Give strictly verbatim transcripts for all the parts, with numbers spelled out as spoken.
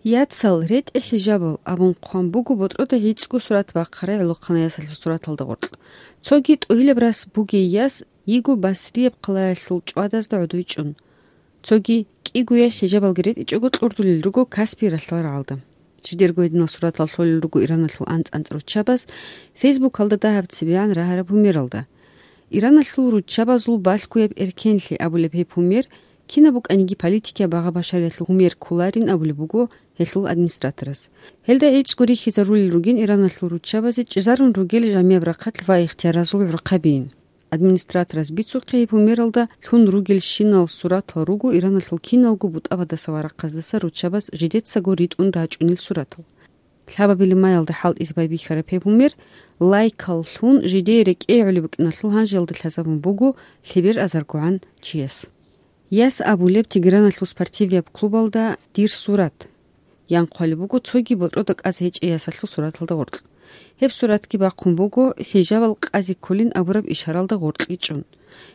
«Яцал, ретӀе хӀижабал», — абун хъван буго ботӀрода гӀицӀго сурат бахъарай гӀолохъанай ясалъул сураталда гъоркь. Цоги тӀогьилаб рас бугей яс йиго Басрияб хъалаялъул чӀвадазда гӀодой чӀун. Цоги кӀигояй хӀижабалги ретӀичӀого кьурдулел руго Каспий ралъдал рагӀалда. Жидерго гьединал суратал лъолел руго Ираналъул анцӀ-анцӀ руччабаз Фейсбукалда дагьаб цебегӀан рагьараб гьумералда. Ираналъул руччабазул балъгояб эркенлъи абулеб гьеб гьумер, кинаб букӀаниги политикияб багъа-башариялъул гьумер кколарин абулеб буго гьелъул администраторас. Гьелда гӀицӀго рихьизарулел ругин Ираналъул руччабазе чӀезарун ругел жамияб рахъалъ ва ихтияразул гӀурхъабиин. Администраторас бицухъе гьеб гьумералда лъун ругелщинал суратал руго Ираналъул киналго бутӀабаздаса ва рахъаздаса руччабаз жидецаго ритӀун рачӀунел суратал. Лъабабилеб маялда хӀалтӀизе байбихьараб гьеб гьумер лайкал лъун жидее рекӀее гӀолеб букӀиналъул гьанжеялда лъазабун буго лъебер азаргогӀан чияс. Яс абулеб Тегераналъул спортивияб клубалда дир сурат. Ян хъвалеб буго цоги ботӀрода кӀаз гьечӀей ясалъул сураталда гъоркь. Гьеб суратги бахъун буго хӀижабал къазе кколин абураб ишаралда гъоркьги чӀун.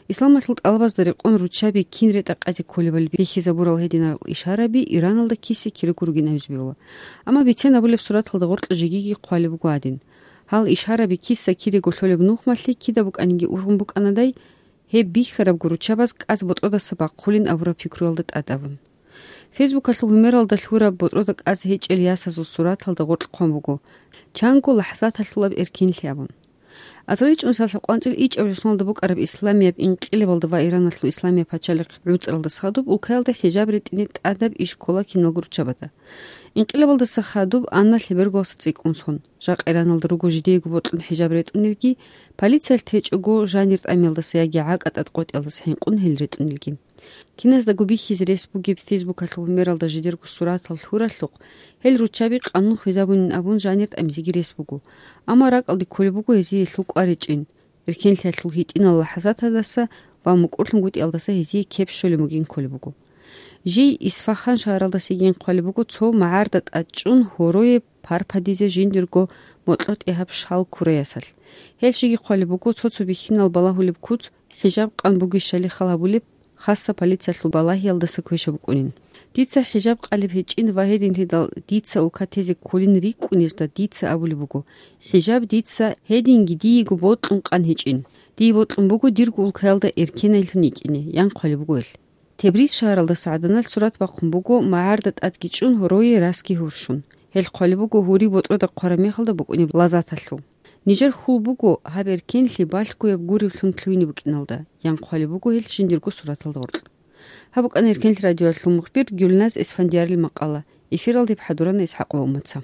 Исламалъул тӀалабазда рекъон руччаби кин ретӀа къазе кколебали бихьизабурал гьединал ишараби Ираналда киса-кираго ругин абизе бегьула. Амма бицен абулеб сураталда гъоркь жегиги хъвалеб буго гьадин. Гьал ишараби киса-кираго лъолеб нухмалъи кида букӀаниги ургъун букӀанадай, гьеб бихьарабго руччабаз кӀаз ботӀродаса бахъулин абураб пикруялда тӀад абун. Фейсбукалъул гьумералда лъураб ботӀрода кӀаз гьечӀел ясазул сураталда гъоркь хъван буго: «Чанго лахӀзаталъулаб эркенлъи», — абун. Азарил чӀужуялъ къванцӀил ичӀабилеб соналда букӀараб исламияб инкъилабалда ва Ираналъул исламияб пачалихъ гӀуцӀаралдаса хадуб улкаялда хӀижаб ретӀине тӀадаб иш ккола киналго руччабазда. Инкъилабалдаса хадуб анна лъеберголаса цӀикӀкӀун сон. Жакъа Ираналда руго жидеего бокьун хӀижаб ретӀунелги, полициялъ течӀого жанир тӀамиялдаса яги гӀакӀа тӀад къотӀиялдаса хӀинкъун гьел ретӀунелги. Киназдаго бихьизе рес бугеб Фейсбукалъул гьумералда жидерго суратал лъуралъухъ, гьел руччаби къанун хвезабунин абун жанир тӀамизеги рес буго, амма ракӀалде кколеб буго гьезие гьелъул кӀваричӀин, эркенлъиялъул гьитӀинал лахӀзатаздаса ва мукӀурлъунгутӀиялдаса гьезие кеп щолеб бугин кколеб буго. Жий Исфахан шагьаралдасаги хъвалеб буго цо магӀарда тӀад чӀун гьорое парпадизе жиндирго мокьо-тӀегьаб шал ккурай ясалъ. Гьел жиги хъвалеб буго цо-цо бихьинал балагьулеб куц хӀижаб къан бугищали хал гьабулеб, хасса полициялъул балагьиялдаса квеша букӀунин. Дица хӀижаб къалеб гьечӀин ва гьединлъидал дица улка тезе кколин рикӀкӀунезда дица абулеб буго: «ХӀижаб дица гьединги диего бокьун къан гьечӀин. Дие бокьун буго дирго улкаялда эркенайлъун йикӀине», — ян хъвалеб буго гьел. Тебриз шагьаралдаса гӀаданалъ сурат бахъун буго магӀарда тӀадги чӀун гьорое расги гьурщун. Гьел хъвалеб буго гьури ботӀрода хъвараб мехалда букӀунеб лаззаталъул. Нижер хьул буго гьаб эркенлъи балъгояб гуревлъун лъугьине букӀиналда, ян хъвалеб буго гьел жиндирго сураталда гъоркь. Гьаб букӀана Эркенлъи радиоялъул мухбир Гюльназ Эсфандиярил макъала. Эфиралда гьеб хӀадурана ИсхӀакъова Умаца.